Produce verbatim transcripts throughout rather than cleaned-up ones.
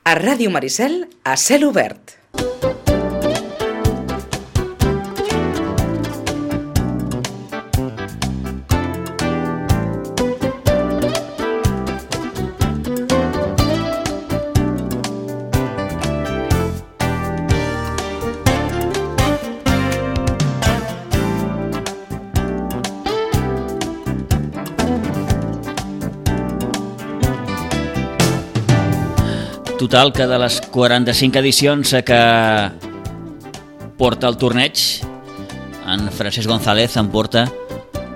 A Ràdio Maricel, a cel obert. Total, que de les quaranta-cinc edicions que porta el torneig, en Francesc González en porta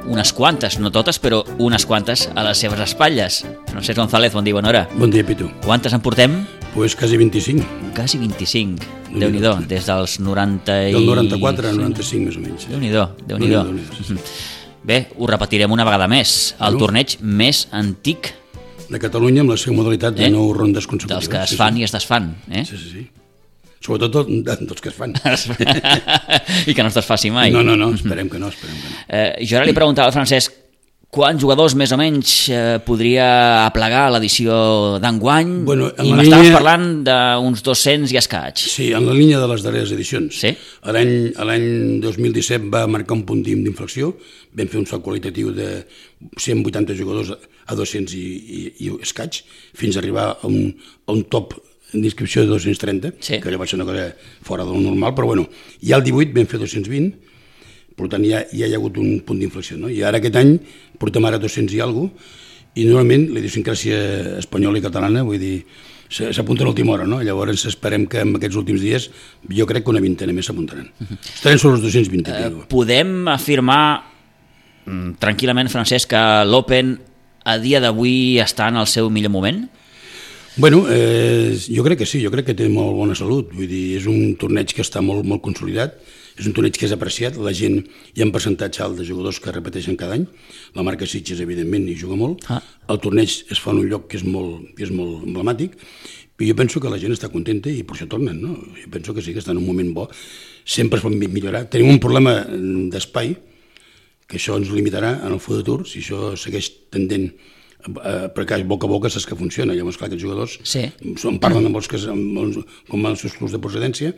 unes quantes, no totes, però unes quantes a les seves espatlles. Francesc González, bon dia, bona hora. Bon dia, Pitu. Quantes en portem? Pues quasi vint-i-cinc. Quasi vint-i-cinc. Déu-n'hi-do, des dels noranta i... Del noranta-quatre al noranta-cinc, més o menys. Déu-n'hi-do, Déu-n'hi-do. Bé, ho repetirem una vegada més. El torneig més antic de Catalunya, amb la seva modalitat de eh? nou rondes consecutives. Dels que es fan sí, sí. i es desfan. Eh? Sí, sí, sí. Sobretot dels que es fan. I que no es desfaci mai. No, no, no, esperem que no, esperem que no. Eh, jo ara li preguntava al Francesc quants jugadors més o menys eh, podria aplegar l'edició d'enguany, bueno, i m'estaves línia... parlant d'uns dos-cents i escaig. Sí, en la línia de les darreres edicions. Sí? L'any dos mil disset va marcar un punt d'inflexió, vam fer un salt qualitatiu de cent vuitanta jugadors a dos-cents i, i, i escaig, fins a arribar a un, a un top d'inscripció de dos-cents trenta, sí. Que allò va ser una cosa fora del normal, però bueno, ja el divuit vam fer dos-cents vint, per tant ja, ja hi ha hagut un punt d'inflexió, no? I ara aquest any portem ara dos-cents i alguna cosa, i normalment la idiosincràsia espanyola i catalana, vull dir, s'apunta a l'última hora, no? Llavors esperem que en aquests últims dies jo crec que una vintena més s'apuntaran. Uh-huh. Estarem sobre els dos-cents vint. Uh, podem afirmar mm, tranquil·lament, Francesc, que l'Open a dia d'avui està en el seu millor moment? Bueno, eh, jo crec que sí, jo crec que té molt bona salut, vull dir, és un torneig que està molt, molt consolidat, és un torneig que és apreciat, la gent, hi ha un percentatge alt de jugadors que repeteixen cada any, la marca Sitges evidentment hi juga molt, ah. El torneig es fa en un lloc que és molt, que és molt emblemàtic, i jo penso que la gent està contenta i per això tornen, no? Jo penso que sí que està en un moment bo, sempre es pot millorar, tenim un problema d'espai, que això ens limitarà en el futur, si això segueix tendent a perquè boca a boca saps que funciona, llavors clar, aquests jugadors sí. en parlen amb els que, amb els, com els seus clubs de procedència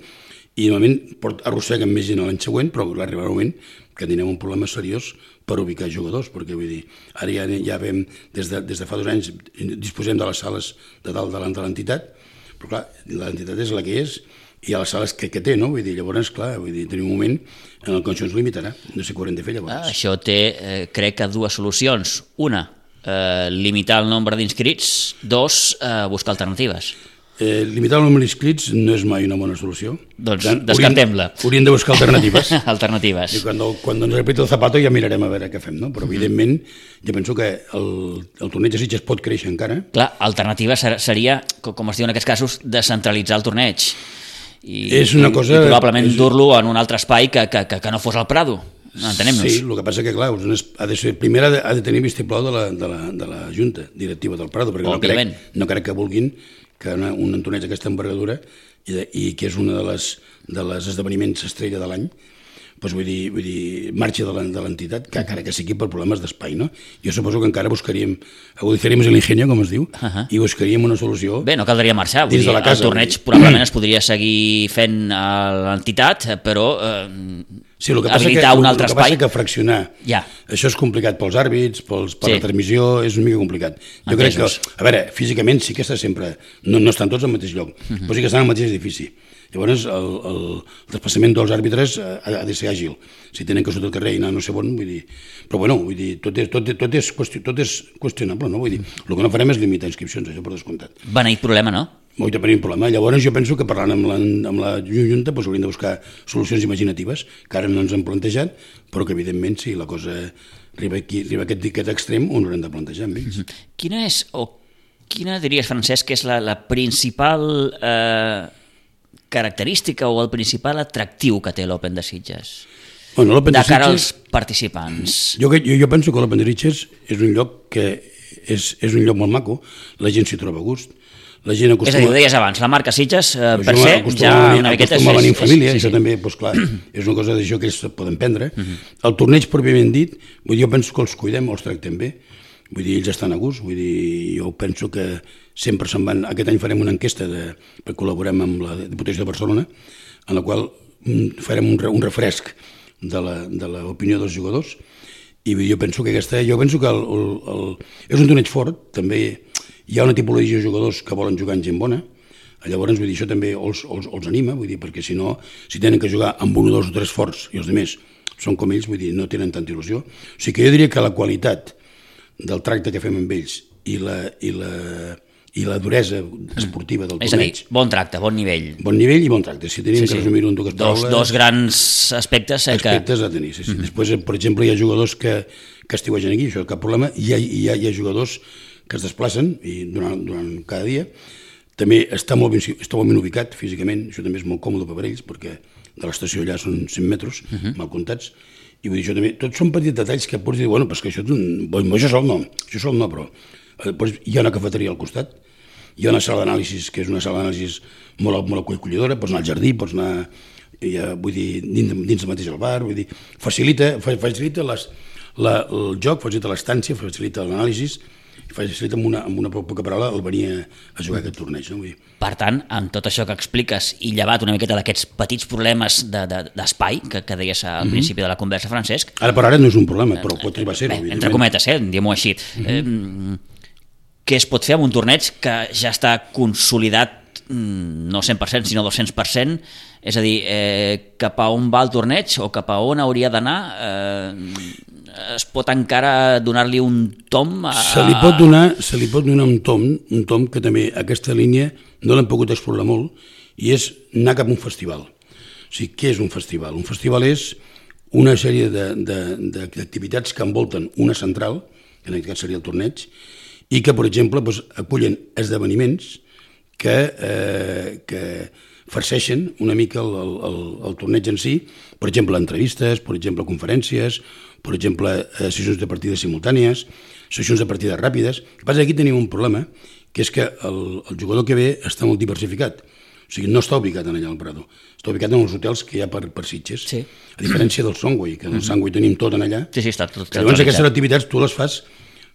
i normalment arrosseguen més gent l'any següent, però arribarà un moment que tindrem un problema seriós per ubicar jugadors, perquè vull dir, ara ja, ja vam, des de, des de fa dos anys disposem de les sales de dalt de l'entitat, però clar, l'entitat és la que és i a les sales que, que té, no? Vull dir, llavors, clar, vull dir, tenim un moment en el que això ens limitarà, no sé què haurem de fer llavors. Ah, això té, eh, crec que dues solucions. Una, eh, limitar el nombre d'inscrits. Dos, eh, buscar alternatives. Eh, limitar el nombre d'inscrits no és mai una bona solució. Doncs descartem-la. Hauríem, hauríem de buscar alternatives. Alternatives. I quan, quan ens repita el zapato ja mirarem a veure què fem, no? Però evidentment jo penso que el, el torneig de Sitges pot créixer encara. Clar, alternativa seria, com es diu en aquests casos, descentralitzar el torneig. I, és una cosa, i probablement és... dur-lo en un altre espai que, que, que no fos al Prado. Entenem-nos. Sí, el que passa que, clar, ha de ser, primer ha de, ha de tenir vistiplau de la, de, la, de la Junta Directiva del Prado, perquè no crec, no crec que vulguin que una, un torneig d'aquesta envergadura i, de, i que és un de les, de les esdeveniments estrella de l'any, doncs vull dir, vull dir marxa de l'entitat, que encara que sigui per problemes d'espai, no? Jo suposo que encara buscaríem, agudizaríem l'ingenio, com es diu, uh -huh. i buscaríem una solució. Bé, no caldria marxar, vull dir, el torneig probablement es podria seguir fent a l'entitat, però eh, sí, el que passa habilitar que, un altre el que espai... passa que fraccionar, ja. Això és complicat pels àrbits, pels, per sí. La transmissió, és una mica complicat. Jo Entesos. crec que, a veure, físicament sí que està sempre, no, no estan tots al mateix lloc, uh -huh. però sí que estan al mateix edifici. Llavors, el, el desplaçament dels àrbitres ha, ha de ser àgil. Si tenen que sortir al carrer i anar no sé on, vull dir... Però bueno, vull dir, tot és, tot, tot és, qüestion, tot és qüestionable, no? Vull dir, el que no farem és limitar inscripcions, això per descomptat. Beneït problema, no? Molt de tenir un problema. Llavors jo penso que parlant amb la, amb la Junta doncs hauríem de buscar solucions imaginatives, que ara no ens han plantejat, però que evidentment si la cosa arriba, aquí, arriba a aquest, aquest extrem, ho haurem de plantejar amb ells. Quina és, o quina diries, Francesc, que és la, la principal... Eh... característica o el principal atractiu que té l'Open de Sitges bueno, de, de cara Sitges, als participants? Jo, jo, jo penso que l'Open de Sitges és un lloc que és, és un lloc molt maco, la gent s'hi troba a gust, la gent acostuma... És a dir, ho deies abans, la marca Sitges, eh, per ser, ja una miqueta... Acostuma a venir en família, sí, sí. Això també, doncs clar, és una cosa d'això que ells poden prendre. Uh-huh. El torneig, pròpiament dit, jo penso que els cuidem, els tractem bé, vull dir, ells estan a gust, vull dir, jo penso que sempre se'n van... Aquest any farem una enquesta, de, perquè col·laborem amb la Diputació de Barcelona, en la qual farem un, un refresc de l'opinió dels jugadors, i jo penso que aquesta... Jo penso que el, el, el, és un torneig fort, també hi ha una tipologia de jugadors que volen jugar en gent bona, llavors, vull dir, això també els, els, els anima, vull dir, perquè si no, si tenen que jugar amb un o dos o tres forts i els altres són com ells, vull dir, no tenen tanta il·lusió. O sigui que jo diria que la qualitat del tracte que fem amb ells i la, i la, i la duresa esportiva del torneig... És a dir, bon tracte, bon nivell. Bon nivell i bon tracte. Si tenim sí, que resumir-ho en dues paraules... Dos, dos grans aspectes... Eh, aspectes que... a tenir, sí, sí. Mm-hmm. Després, per exemple, hi ha jugadors que, que estiuegen aquí, això és cap problema, i hi ha, hi ha, hi ha jugadors que es desplacen i durant, durant cada dia. També està molt, ben, està molt ben ubicat físicament, això també és molt còmode per ells, perquè de l'estació allà són cent metres, uh-huh. mal comptats, i vull dir, això també, tots són petits detalls que pots dir, bueno, però és que això, bon, això sol no, això sol no, però eh, hi ha una cafeteria al costat, hi ha una sala d'anàlisis, que és una sala d'anàlisis molt, molt acollidora, pots anar al jardí, pots anar, ja, vull dir, dins, dins mateix al bar, vull dir, facilita, facilita les, la, el joc, facilita l'estància, facilita l'anàlisi, facilita amb una, amb una poca paraula el venir a, a jugar aquest torneig. No? Vull dir. Per tant, amb tot això que expliques i llevat una miqueta d'aquests petits problemes d'espai de, de, que, que deies al mm-hmm. principi de la conversa, Francesc... Ara per ara no és un problema, però pot arribar a ser-ho. Bé, entre cometes, eh? diguem-ho així. Mm-hmm. eh, què es pot fer amb un torneig que ja està consolidat no cent per cent, sinó dos-cents per cent? És a dir, eh, cap a on va el torneig o cap a on hauria d'anar? Eh, es pot encara donar-li un tom? A... Se li pot donar, se li pot donar un tom, un tom que també aquesta línia no l'hem pogut explorar molt, i és anar cap a un festival. O sigui, què és un festival? Un festival és una sèrie d'activitats que envolten una central, que en aquest cas seria el torneig, i que, per exemple, doncs, acullen esdeveniments que, eh, que farceixen una mica el, el, el torneig en si, per exemple, entrevistes, per exemple, conferències, per exemple, eh, sessions de partides simultànies, sessions de partides ràpides. El que passa és que aquí tenim un problema, que és que el, el jugador que ve està molt diversificat. O sigui, no està ubicat allà al Prado, està ubicat en els hotels que hi ha per, per Sitges, sí. A diferència del Songway, que en el Songway tenim tot en allà. Sí, sí, està tot. Llavors, aquestes activitats tu les fas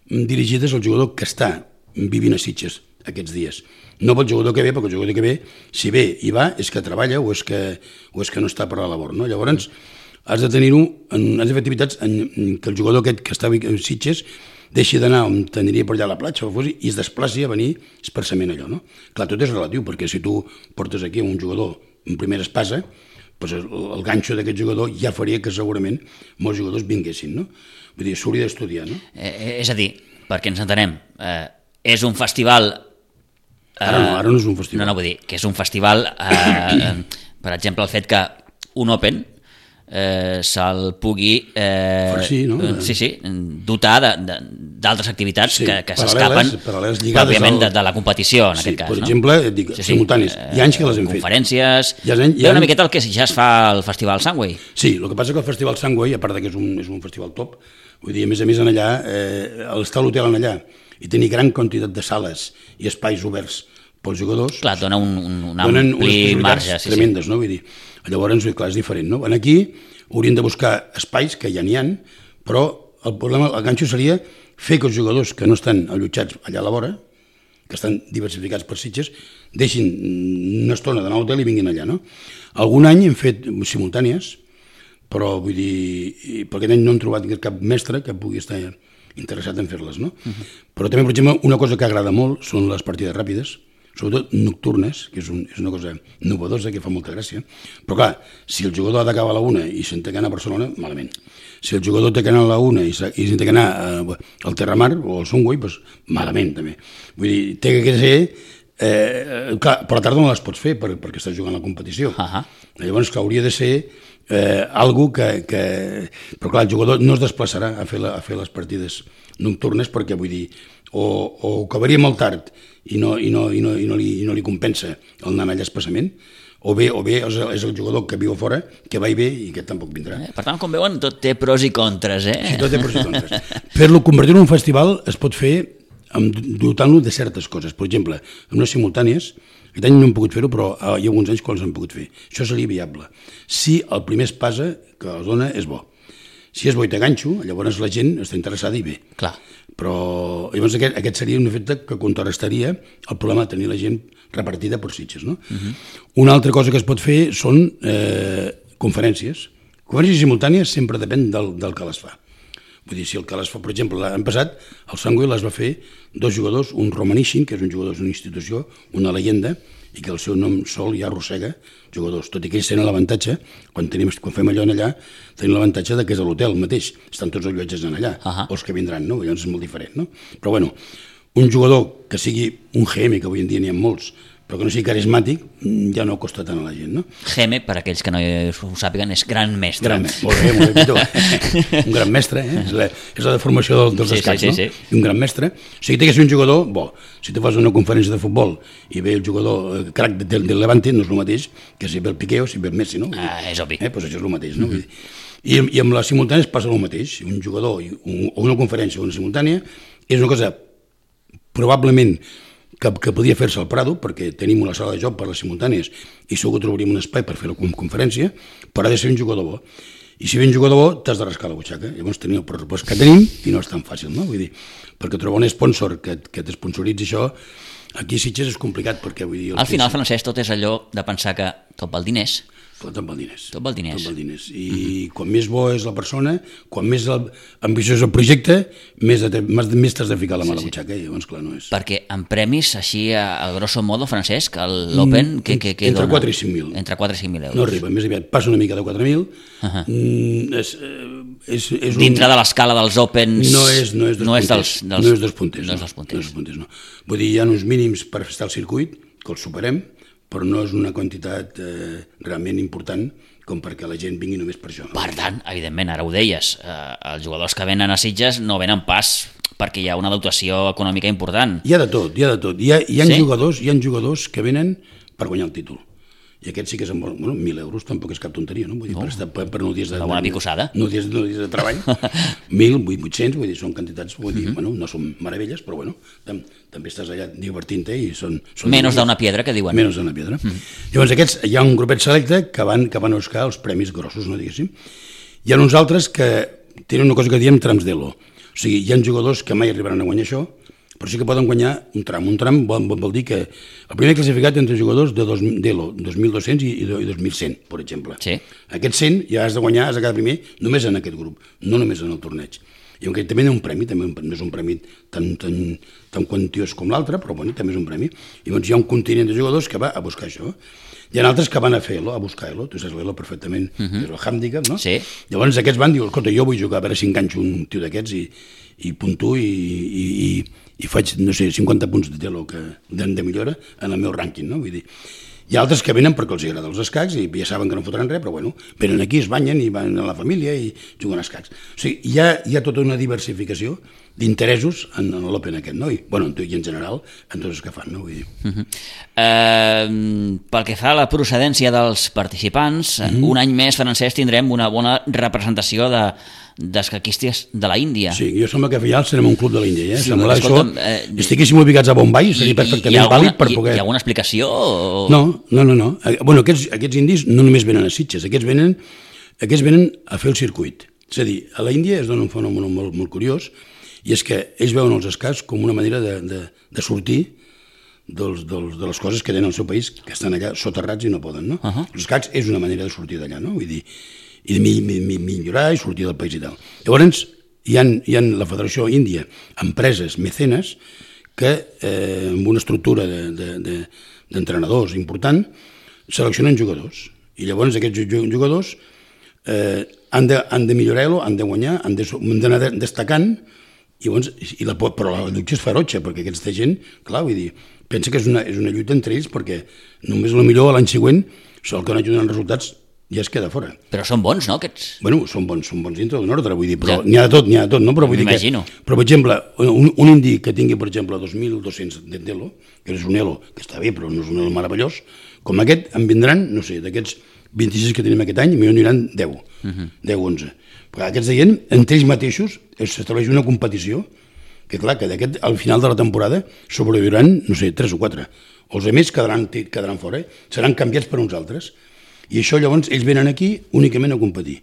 dirigides al jugador que està vivint a Sitges aquests dies. No pel jugador que ve, perquè el jugador que ve, si ve i va, és que treballa o és que, o és que no està per la labor. No? Llavors, has de tenir-ho, has de fer activitats en, en que el jugador aquest que està a Sitges deixi d'anar on t'aniria per allà a la platja o fos, i es desplaci a venir expressament allò. No? Clar, tot és relatiu, perquè si tu portes aquí un jugador en primera espasa, doncs el, el ganxo d'aquest jugador ja faria que segurament molts jugadors vinguessin. No? Vull dir, s'hauria d'estudiar. No? Eh, és a dir, perquè ens entenem, eh, és un festival... Eh, ara no, ara no és un festival. No, no, vull dir que és un festival, eh, per exemple, el fet que un Open eh, se'l pugui eh, Farcí, no? sí, sí, dotar d'altres activitats sí, que, que s'escapen pròpiament al... de, de la competició, en sí, aquest cas. Per no? exemple, dic, sí, sí, simultànies. Hi ha anys que les hem conferències, fet. Conferències... Hi ha una miqueta el que ja es fa al Festival Sangway. Sí, el que passa que el Festival Sangway, a part que és un, és un festival top, vull dir, a més a més en allà, eh, estar a l'hotel en allà i tenir gran quantitat de sales i espais oberts pels jugadors... Clar, dona un, un, un ampli marge. Sí, tremendes, sí. No? Vull dir, llavors, clar, és diferent. No? Aquí hauríem de buscar espais, que ja n'hi ha, però el problema, el ganxo seria fer que els jugadors que no estan allotjats allà a la vora, que estan diversificats per Sitges, deixin una estona d'anar a l'hotel i vinguin allà. No? Algun any hem fet simultànies, però vull dir, per aquest any no hem trobat cap mestre que pugui estar interessat en fer-les. No? Uh-huh. Però també, per exemple, una cosa que agrada molt són les partides ràpides, sobretot nocturnes, que és, un, és una cosa novedosa, que fa molta gràcia. Però clar, si el jugador ha d'acabar a la una i se'n té que anar a Barcelona, malament. Si el jugador té que anar a la una i se'n té que anar al Terramar o al Songway, doncs malament també. Vull dir, té que ser... Eh, clar, per la tarda no les pots fer per, perquè estàs jugant a la competició. Uh-huh. Llavors, clar, hauria de ser eh, algo que, que... Però clar, el jugador no es desplaçarà a fer, la, a fer les partides nocturnes perquè, vull dir, o, o acabaria molt tard i no, i no, i no, i no, li, i no li compensa el anar allà expressament, o bé, o bé és, el, és el jugador que viu a fora, que va i ve i que tampoc vindrà. Per tant, com veuen, tot té pros i contres, eh? Sí, tot té pros i contres. Per-lo convertir en un festival es pot fer dotant-lo de certes coses. Per exemple, en unes simultànies, aquest any no hem pogut fer-ho, però hi ha alguns anys que els hem pogut fer. Això seria viable. Si el primer espasa que la dona és bo. Si és boita ganxo, llavors la gent està interessada i bé. Clar. Però llavors aquest, aquest seria un efecte que contrarrestaria el problema de tenir la gent repartida per sitges. No? Uh-huh. Una altra cosa que es pot fer són eh, conferències. Conferències simultànies sempre depèn del, del que les fa. Vull dir, si el que les fa, per exemple, l'any passat, el Sangüe les va fer dos jugadors, un Romanishin, que és un jugador d'una institució, una leyenda, i que el seu nom sol ja arrossega jugadors, tot i que ells tenen l'avantatge, quan, tenim, quan fem allò en allà, tenim l'avantatge que és a l'hotel mateix, estan tots els llotges en allà, uh-huh. els que vindran, no? Llavors és molt diferent, no? Però bueno, un jugador que sigui un G M, que avui en dia n'hi ha molts, però que no sigui carismàtic, ja no costa tant a la gent, no? G M, per aquells que no ho sàpiguen, és gran mestre. Gran mestre, molt bé, molt bé. Un gran mestre, eh? És la, és la deformació del, dels sí, escacs, sí, sí, no? Sí. Un gran mestre. O sigui, té que ser un jugador bo. Si tu fas una conferència de futbol i ve el jugador eh, crac del, del Levante, no és el mateix que si ve el Piqué o si ve el Messi, no? Ah, és obvi. Eh? Pues això és el mateix, no? Mm-hmm. I, I amb les simultànies passa el mateix. Un jugador un, o una conferència o una simultània és una cosa probablement que, que podia fer-se al Prado, perquè tenim una sala de joc per les simultànies i segur que trobaríem un espai per fer la conferència, però ha de ser un jugador bo. I si ve un jugador bo, t'has de rascar la butxaca. Llavors tenim el pressupost que tenim i no és tan fàcil, no? Vull dir, perquè trobar un sponsor que, que t'esponsoritzi això, aquí a Sitges és complicat, perquè vull dir... Al final, Francesc, tot és allò de pensar que tot val diners. Tot val diners. Tot val diners. Tot val diners. I mm-hmm. quan més bo és la persona, quan més el, ambiciós el projecte, més, de, més t'has de ficar la mà a la butxaca, i llavors, clar, no és... Perquè en premis, així, a, a grosso modo, Francesc, l'Open, que, que, que entre dona? quatre i cinc mil. Entre quatre i cinc mil euros. No arriba, més aviat passa una mica de quatre mil. Uh-huh. Mm, és, és, és Dintre un... de l'escala dels Opens... No és, no és dos no punters. És dels, dels... No és dos punters. No és dels punters. No és dos punters, no. Vull dir, hi ha uns mínims per estar al circuit, que els superem, però no és una quantitat eh, realment important com perquè la gent vingui només per això. No? Per tant, evidentment, ara ho deies, eh, els jugadors que venen a Sitges no venen pas perquè hi ha una dotació econòmica important. Hi ha de tot, hi ha de tot. Hi ha, hi ha, sí? jugadors, hi ha jugadors que venen per guanyar el títol. I aquests sí que són... Bueno, mil euros tampoc és cap tonteria, no? Vull dir, no. Per, estar, per, per nou dies de... Una bona picossada. Nou dies, nou dies de treball. Mil, vuit-cents, vull dir, són quantitats, vull dir, mm-hmm. bueno, no són meravelles, però bueno, tam, també estàs allà divertint-te i són... són Menos d'una piedra, que diuen. Menos d'una piedra. Mm-hmm. Llavors aquests, hi ha un grupet selecte que van, que van a buscar els premis grossos, no diguéssim. Hi ha uns altres que tenen una cosa que diem trams d'elo. O sigui, hi ha jugadors que mai arribaran a guanyar això, però sí que poden guanyar un tram. Un tram vol, vol dir que el primer classificat entre jugadors de d'Elo, dos mil dos-cents i, i dos mil cent, per exemple. Sí. Aquests cent ja has de guanyar, has de quedar primer només en aquest grup, no només en el torneig. I aunque també hi ha un premi, també no és un premi tan, tan, tan quantiós com l'altre, però bueno, també és un premi. I llavors hi ha un continent de jugadors que va a buscar això. Hi ha altres que van a fer-lo, a buscar l'Elo, tu saps l'Elo perfectament, uh-huh. és el handicap, no? Sí. Llavors aquests van dir, escolta, jo vull jugar, a veure si enganxo un tio d'aquests i, i puntuo i, i, i, i faig, no sé, cinquanta punts de telo que, de, de millora en el meu rànquing, no? Vull dir, hi ha altres que venen perquè els agrada els escacs i ja saben que no fotran res, però bueno, venen aquí, es banyen i van a la família i juguen a escacs. O sigui, hi ha, hi ha tota una diversificació d'interessos en l'Open aquest, no? I, bueno, i en general, en tots els que fan, no? Vull dir. Uh-huh. eh, pel que fa a la procedència dels participants, uh-huh. un any més, Francesc, tindrem una bona representació de d'escaquistes de la Índia. Sí, jo sembla que ja serem un club de l'Índia, eh? Sí, sembla això, eh, estiguéssim ubicats a Bombay, seria perfectament alguna, vàlid per poder... Hi ha alguna explicació? O... No, no, no. no. Bueno, aquests, aquests indis no només venen a Sitges, aquests venen, aquests venen a fer el circuit. És a dir, a la Índia es dona un fenomen molt, molt curiós, i és que ells veuen els escacs com una manera de, de, de sortir dels, dels, de les coses que tenen al seu país, que estan allà soterrats i no poden, no? Uh-huh. Els escacs és una manera de sortir d'allà, no? Vull dir, i de mi, mi, mi, millorar i sortir del país i tal. Llavors, hi ha, hi ha la Federació Índia, empreses, mecenes, que eh, amb una estructura de, de, de, d'entrenadors important, seleccionen jugadors. I llavors aquests jugadors eh, han, de, han de millorar-lo, han de guanyar, han d'anar de, destacant, i llavors, i la, però la lluita és ferotge, perquè aquesta gent, clar, vull dir, pensa que és una, és una lluita entre ells, perquè només el millor l'any següent, el que no ajuden els resultats, ja es queda fora. Però són bons, no, aquests? Bueno, són bons, són bons dintre d'un ordre, vull dir, però ja. n'hi ha de tot, n'hi ha de tot, no? Però vull dir que, però, per exemple, un, un indi que tingui, per exemple, dos mil dos-cents d'Elo, que és un Elo, que està bé, però no és un Elo meravellós, com aquest, en vindran, no sé, d'aquests vint-i-sis que tenim aquest any, millor aniran deu, uh-huh. deu, onze. Perquè aquests de gent, entre ells mateixos, s'estableix una competició, que clar, que d'aquest, al final de la temporada, sobreviuran, no sé, tres o quatre. Els altres quedaran, quedaran fora, seran canviats per uns altres. I això llavors ells venen aquí únicament a competir.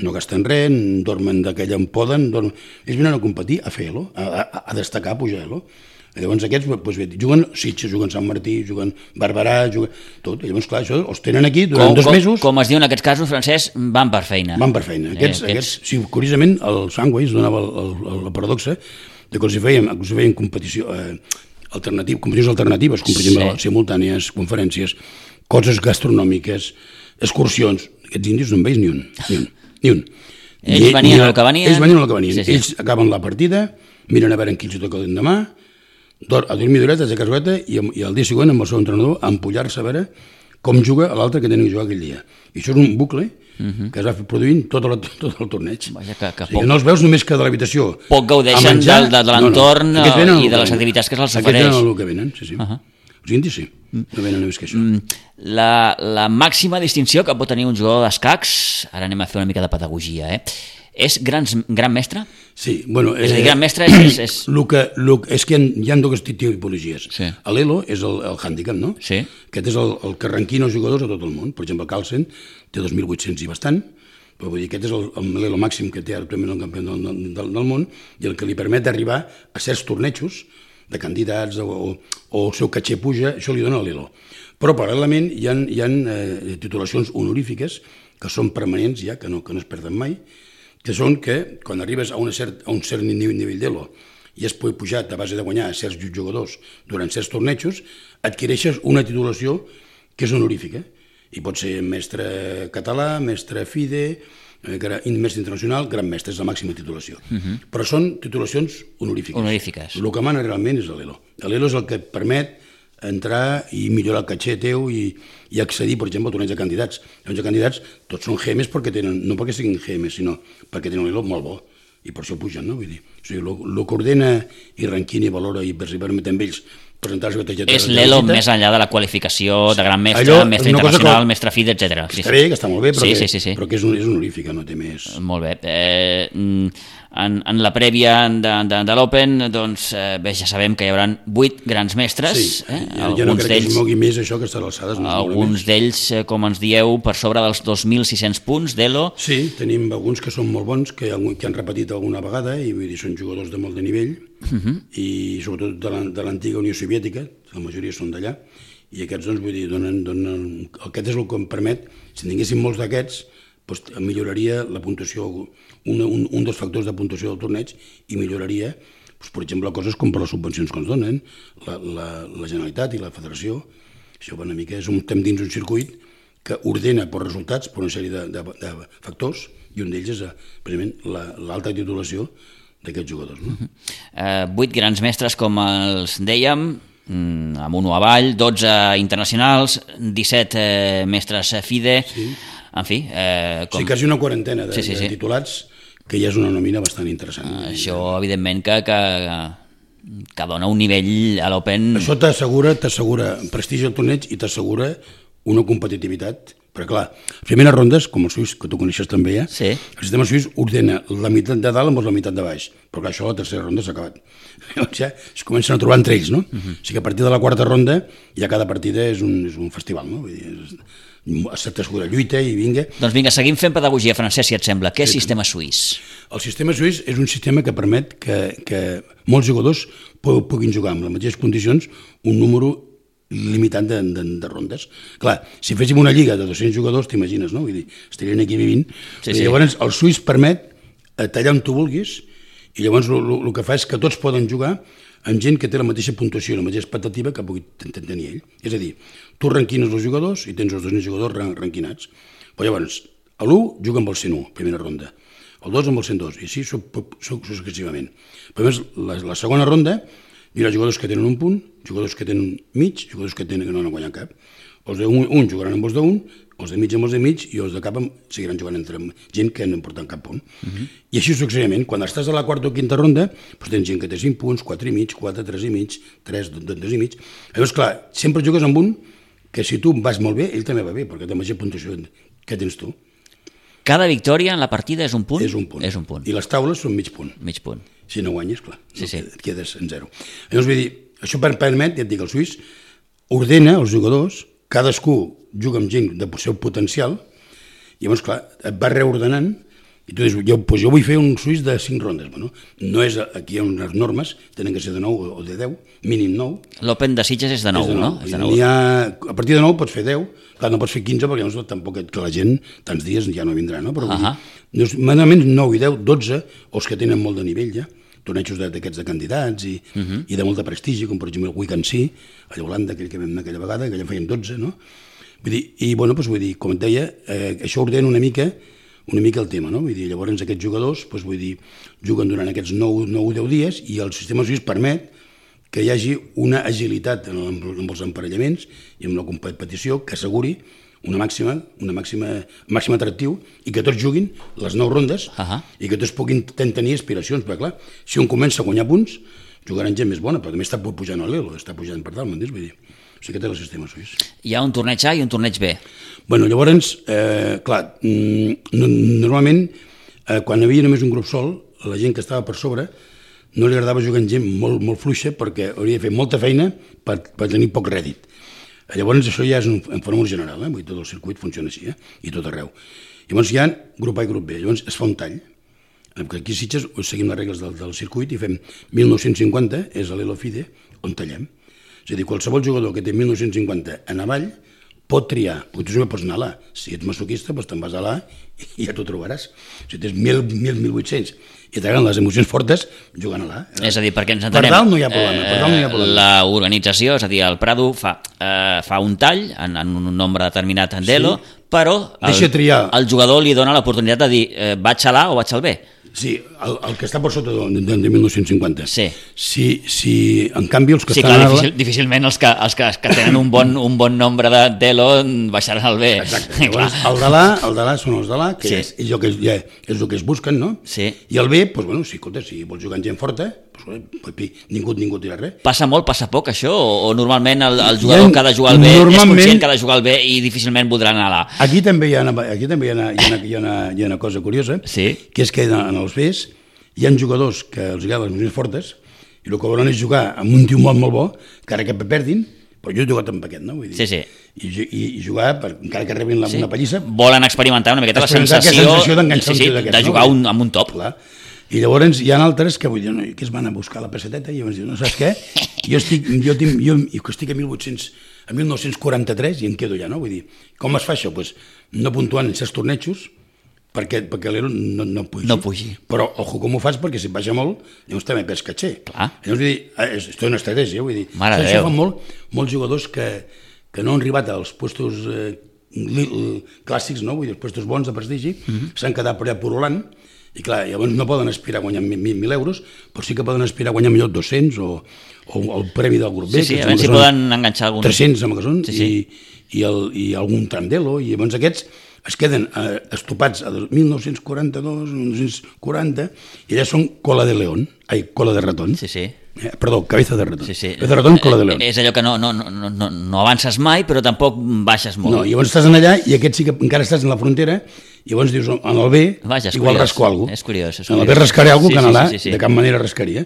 no gasten res, dormen d'aquella en poden, dormen... ells venen a competir, a fer Elo, a, a, a destacar, a pujar Elo. Llavors aquests doncs, bé, juguen Sitges, juguen Sant Martí, juguen Barberà, juguen tot. I llavors, clar, això els tenen aquí durant com, dos com, mesos. Com es diu en aquests casos, Francesc, van per feina. Van per feina. Aquests, eh, aquests... aquests sí, curiosament, el Sandwich donava el, el, la paradoxa de que els hi feien, els hi feien competició, eh, alternatiu, competicions alternatives, com per exemple sí. simultànies, conferències, coses gastronòmiques, excursions. Aquests indis no en veus ni un. Ni un. Ni un. Ells venien al que venien. Ells venien al que venien. Sí, sí. Ells acaben la partida, miren a veure en qui els toca l'endemà, a dormir d'horetes, a caseta, i, i el dia següent amb el seu entrenador a empullar-se a veure com juga l'altre que tenen que jugar aquell dia. I això és un bucle uh-huh. que es va produint tot el, tot el torneig. Vaja, que, que o sigui, no els veus només que de l'habitació. Poc gaudeixen menjar, de, de l'entorn no, no. i de les activitats que se'ls ofereix. Aquests venen el que venen, sí, sí. Uh-huh. Els indis sí, no venen més que això. La, la màxima distinció que pot tenir un jugador d'escacs, ara anem a fer una mica de pedagogia, eh? És grans, gran mestre? Sí, bueno... És a dir, gran mestre és... és, és... Lo que, lo, és que hi ha, hi ha dues tipologies. Sí. L'Elo és el, el hàndicap, no? Sí. Aquest és el, el que ranquina els jugadors a tot el món. Per exemple, Carlsen té dos mil vuit-cents i bastant, però vull dir, aquest és l'Elo màxim que té actualment el campió del, del, del món i el que li permet arribar a certs tornejos de candidats o, o, o el seu catxer puja, això li dona l'Elo. Però paral·lelament hi ha, hi ha eh, titulacions honorífiques que són permanents ja, que no, que no es perden mai, que són que quan arribes a, una cert, a un cert nivell, nivell d'Elo i has pujat a base de guanyar certs jugadors durant certs tornejos, adquireixes una titulació que és honorífica. I pot ser mestre català, mestre FIDE, mestre internacional, gran mestre, és la màxima titulació. Uh-huh. Però són titulacions honorífiques. Honorífiques. El que mana realment és l'Elo. L'Elo és el que et permet entrar i millorar el catxer teu i, i accedir, per exemple, a torneig de candidats. Els candidats tots són G Ms perquè tenen, no perquè siguin G Ms, sinó perquè tenen l'Elo molt bo i per això pugen, no? Vull dir, o sigui, el que ordena i ranquina i valora i permet amb ells presentar-se a és l'Elo més enllà de la qualificació de gran mestre, allò, mestre internacional, que... mestre FIDE, etcètera. Està sí, bé, que està molt bé, però, sí, que, sí, sí, sí. però que és, un, és honorífica, no té més... Molt bé. Eh, en, en la prèvia de, de, de l'Open, doncs, eh, bé, ja sabem que hi haurà vuit grans mestres. Sí, eh? ja, ja no crec que es mogui més això que estarà a alçades. No alguns d'ells, eh, com ens dieu, per sobre dels dos mil sis-cents punts d'Elo. Sí, tenim alguns que són molt bons, que, que han repetit alguna vegada, i vull dir, són jugadors de molt de nivell, uh-huh. i sobretot de l'antiga Unió Soviètica, la majoria són d'allà, i aquests, doncs, vull dir, donen, donen... Aquest és el que em permet, si en tinguéssim molts d'aquests, doncs, milloraria la puntuació, un, un, un dels factors de puntuació del torneig, i milloraria, doncs, per exemple, coses com per les subvencions que ens donen, la, la, la Generalitat i la Federació. Això, una mica, és un, estem dins un circuit que ordena per resultats, per una sèrie de, de, de factors, i un d'ells és, precisament, l'alta la, titulació d'aquests jugadors. No? Uh-huh. uh, vuit grans mestres, com els dèiem, amb un avall, dotze internacionals, disset eh, mestres FIDE, sí. En fi... Eh, com... Sí, quasi una quarantena de, sí, sí, sí. de titulats, que ja és una nòmina bastant interessant. Uh, això, evidentment, que, que, que dona un nivell a l'Open... Això t'assegura, t'assegura prestigi al torneig i t'assegura una competitivitat. Perquè, clar, les primeres rondes, com el suís, que tu coneixes també ja, sí. El sistema suís ordena la meitat de dalt amb la meitat de baix, però clar, això a la tercera ronda s'ha acabat. Llavors ja es comencen a trobar entre ells, no? Uh-huh. O sigui que a partir de la quarta ronda ja cada partida és un, és un festival, no? Vull dir, s'assegura lluita i vinga... Doncs vinga, seguim fent pedagogia, Francesc, si et sembla. Què és sí. sistema suís? El sistema suís és un sistema que permet que, que molts jugadors puguin jugar amb les mateixes condicions un número limitat de, de, de rondes. Clar, si féssim una lliga de dos-cents jugadors, t'imagines, no? Vull dir, estarien aquí vivint. Sí, sí. Llavors, el suís permet tallar on tu vulguis i llavors el que fa és que tots poden jugar amb gent que té la mateixa puntuació, la mateixa expectativa que pugui tenir ell. És a dir, tu ranquines els jugadors i tens els dos jugadors ranquinats. Però llavors, l'u juga amb el cent u, primera ronda, el dos amb el cent dos, i així successivament. Però a més, la, la segona ronda hi ha jugadors que tenen un punt, jugadors que tenen mig, jugadors que, tenen, que no han guanyat cap. Els d'un un jugaran amb els d'un, els de mig amb els de mig, i els de cap seguiran jugant entre gent que no porten cap punt. Uh-huh. I així successivament. Quan estàs a la quarta o quinta ronda, doncs tens gent que té cinc punts, quatre i mig, quatre, tres i mig, tres, dos i mig. Llavors, clar, sempre jugues amb un que si tu vas molt bé, ell també va bé, perquè té la mateixa puntuació que tens tu. Cada victòria en la partida és un punt? És un punt. És un punt. I les taules són mig punt. Mig punt. Si no guanyes, clar, sí, sí. et quedes en zero. Llavors, vull dir, això permet, ja et dic, el suís ordena els jugadors, cadascú juga amb gent del seu potencial, i llavors, clar, et va reordenant I tu dius, jo, pues jo vull fer un suís de cinc rondes. Bueno, no és, aquí hi ha unes normes, tenen que ser de nou o de deu, mínim nou. L'Open de Sitges és de nou, és de nou. no? És de nou. Ha, a partir de nou pots fer deu, clar, no pots fer quinze perquè llavors tampoc que la gent tants dies ja no vindrà, no? Però uh -huh. manament nou i deu, dotze, o els que tenen molt de nivell ja, tornejos d'aquests de candidats i, uh -huh. i de molta prestigi, com per exemple el Weekend Sí, a Holanda, aquell que vam anar aquella vegada, que allà en fèiem dotze, no? Vull dir, i bueno, doncs vull dir, com et deia, eh, això ordena una mica una mica el tema, no? Vull dir, llavors aquests jugadors, doncs vull dir, juguen durant aquests nou o deu dies i el sistema suís permet que hi hagi una agilitat en, el, en els emparellaments i en la competició que asseguri una màxima, una màxima, màxim atractiu i que tots juguin les nou rondes uh -huh. i que tots puguin tenir aspiracions, perquè clar, si un comença a guanyar punts, jugaran gent més bona, però també està pujant a l'Elo, està pujant per dalt, m'entens? Vull dir, o sigui, aquest és el sistema suís. Hi ha un torneig A i un torneig B. Bueno, llavors, eh, clar, no, normalment, eh, quan hi havia només un grup sol, la gent que estava per sobre no li agradava jugar amb gent molt, molt fluixa perquè hauria de fer molta feina per, per tenir poc rèdit. Llavors, això ja és un, en fenomen general, eh? Vull dir, tot el circuit funciona així, eh? I tot arreu. Llavors hi ha grup A i grup B, llavors es fa un tall. Aquí a Sitges seguim les regles del, del circuit i fem mil nou-cents cinquanta, és l'Elo FIDE, on tallem. És a dir, qualsevol jugador que té mil nou-cents cinquanta en avall pot triar, tu també pots anar a l'A. Si ets masoquista, doncs te'n vas a l'A i ja t'ho trobaràs. Si tens mil, mil vuit-cents i t'agraden les emocions fortes, jugant a l'A. És a dir, perquè ens entenem... Per dalt no hi ha problema, per dalt no hi ha problema. La organització, és a dir, el Prado fa, eh, fa un tall en, en un nombre determinat en d'Elo, sí, però el, el jugador li dona l'oportunitat de dir eh, vaig a l'A o vaig al B. Sí, el, el que està per sota de, de, de mil nou-cents cinquanta. Sí. Si, si, en canvi, els que sí, estan... Clar, difícil, difícilment els que, els que, que tenen un bon, un bon nombre d'Elo baixaran al B. Exacte. Llavors, el de l'A, el de l'A són els de l'A, que sí. és, és, el que, ja, és el que es busquen, no? Sí. I el B, doncs, bueno, si, escolta, si vols jugar amb gent forta, doncs, ningú, ningú tira res. Passa molt, passa poc, això? O, o normalment el, el jugador ha, que ha de jugar al B és conscient que ha de jugar al B i difícilment voldrà anar a l'A? Aquí també hi ha una, aquí també hi ha una, hi ha una, hi ha una, hi ha una cosa curiosa, sí. que és que en els Bs hi ha jugadors que els agraden les emocions fortes i el que volen és jugar amb un tio molt, molt bo, encara que perdin, però jo he jugat amb aquest, no? Vull dir, sí, sí. I, i, i jugar, per, encara que rebin la, sí. una pallissa... Volen experimentar una miqueta la sensació, sensació d'enganxar sí, sí, un tio d'aquest, de jugar no? un, amb un top. Clar. I llavors hi ha altres que vull dir, no, que es van a buscar la pesseteta i llavors diuen, no saps què? Jo estic, jo, tinc, jo, jo estic a mil vuit-cents, a mil nou-cents quaranta-tres i em quedo ja, no? Vull dir, com es fa això? Pues, no puntuant en certs tornejos, perquè, perquè l'Elo no, no pugi. No pugi. Però, ojo, com ho fas? Perquè si baixa molt, llavors també perds caché. Clar. Llavors, vull dir, és, és una estratègia, vull dir. Mare de això Déu. fan molt, molts jugadors que, que no han arribat als puestos eh, li, clàssics, no? Vull dir, els puestos bons de prestigi, mm-hmm. s'han quedat per allà porolant, i clar, llavors no poden aspirar a guanyar mil euros, però sí que poden aspirar a guanyar millor dos-cents o, o el premi del grup B. Sí, sí, a veure si poden enganxar algun... tres-cents, amb que són, sí, sí. i, i, el, i algun tram d'Elo, i llavors aquests es queden eh, estopats a mil nou-cents quaranta-dos, mil nou-cents quaranta, i allà són cola de león, ai, cola de ratón. Sí, sí. Eh, perdó, cabeza de ratón. Sí, sí. Cabeza de ratón, cola de león. És allò que no, no, no, no, no avances mai, però tampoc baixes molt. No, i llavors estàs allà i aquest sí que encara estàs en la frontera, i llavors dius, en el B, Vaja, igual curiós. rasco alguna cosa. És curiós, és en el curiós. B rascaré alguna cosa, sí, que en l'A sí, sí, sí. de cap manera rascaria,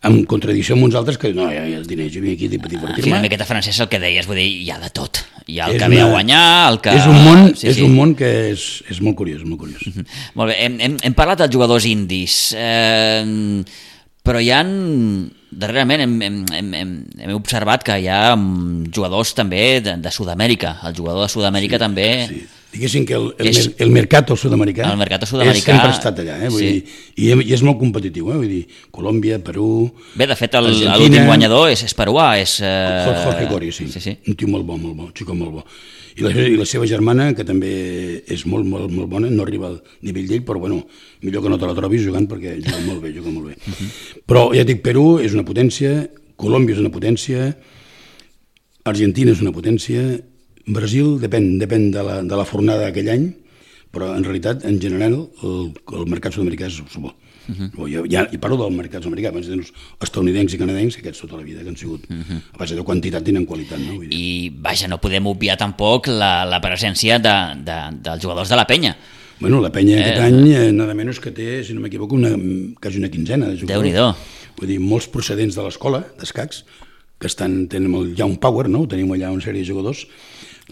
en contradicció amb uns altres que no, ja, ja els diners, jo vinc aquí per divertir-me. En fi, una miqueta francès el que deies, vull dir, hi ha de tot. Hi ha el És que ve a una- guanyar, el que... És un món, Sí, és sí. un món que és, és molt curiós, molt curiós. Molt bé, hem, hem, hem parlat dels jugadors indis, eh, però hi ha... Darrerament hem, hem, hem, hem, hem observat que hi ha mm, jugadors també de, de Sud-amèrica. El jugador de Sud-amèrica també... Sí. Diguéssim que el, el, És- el mercat sud-americà El mercat sud-americà, sempre ha estat allà, eh? Vull sí. dir, i, i és molt competitiu, eh? Vull dir, Colòmbia, Perú... Bé, de fet, el- Argentina, l'últim guanyador és, és peruà, és... Eh... Jorge, Jorge Coria, sí. sí, sí. Un tio molt bo, molt bo, un xico molt bo. I la, I la seva germana, que també és molt, molt, molt bona, no arriba al nivell d'ell, però bueno, millor que no te la trobis jugant perquè juga molt bé, juga molt bé. Uh -huh. Però ja dic, Perú és una potència, Colòmbia és una potència, Argentina és una potència, Brasil depèn, depèn de, la, de la fornada d'aquell any, però en realitat, en general, el, el mercat sud-americà és bo. Uh -huh. jo, ja, I parlo del mercat sud-americà, abans dels estadounidencs i canadencs, que aquests tota la vida que han sigut, uh -huh. a base de quantitat tenen qualitat. No? Vull dir. I, vaja, no podem obviar tampoc la, la presència de, de, dels jugadors de la penya. Bueno, la penya aquest eh, any, eh, nada menys que té, si no m'equivoco, una, quasi una quinzena de jugadors. Déu-n'hi-do. Vull dir, molts procedents de l'escola, d'escacs, que estan, tenen el Young Power, no? Tenim allà una sèrie de jugadors,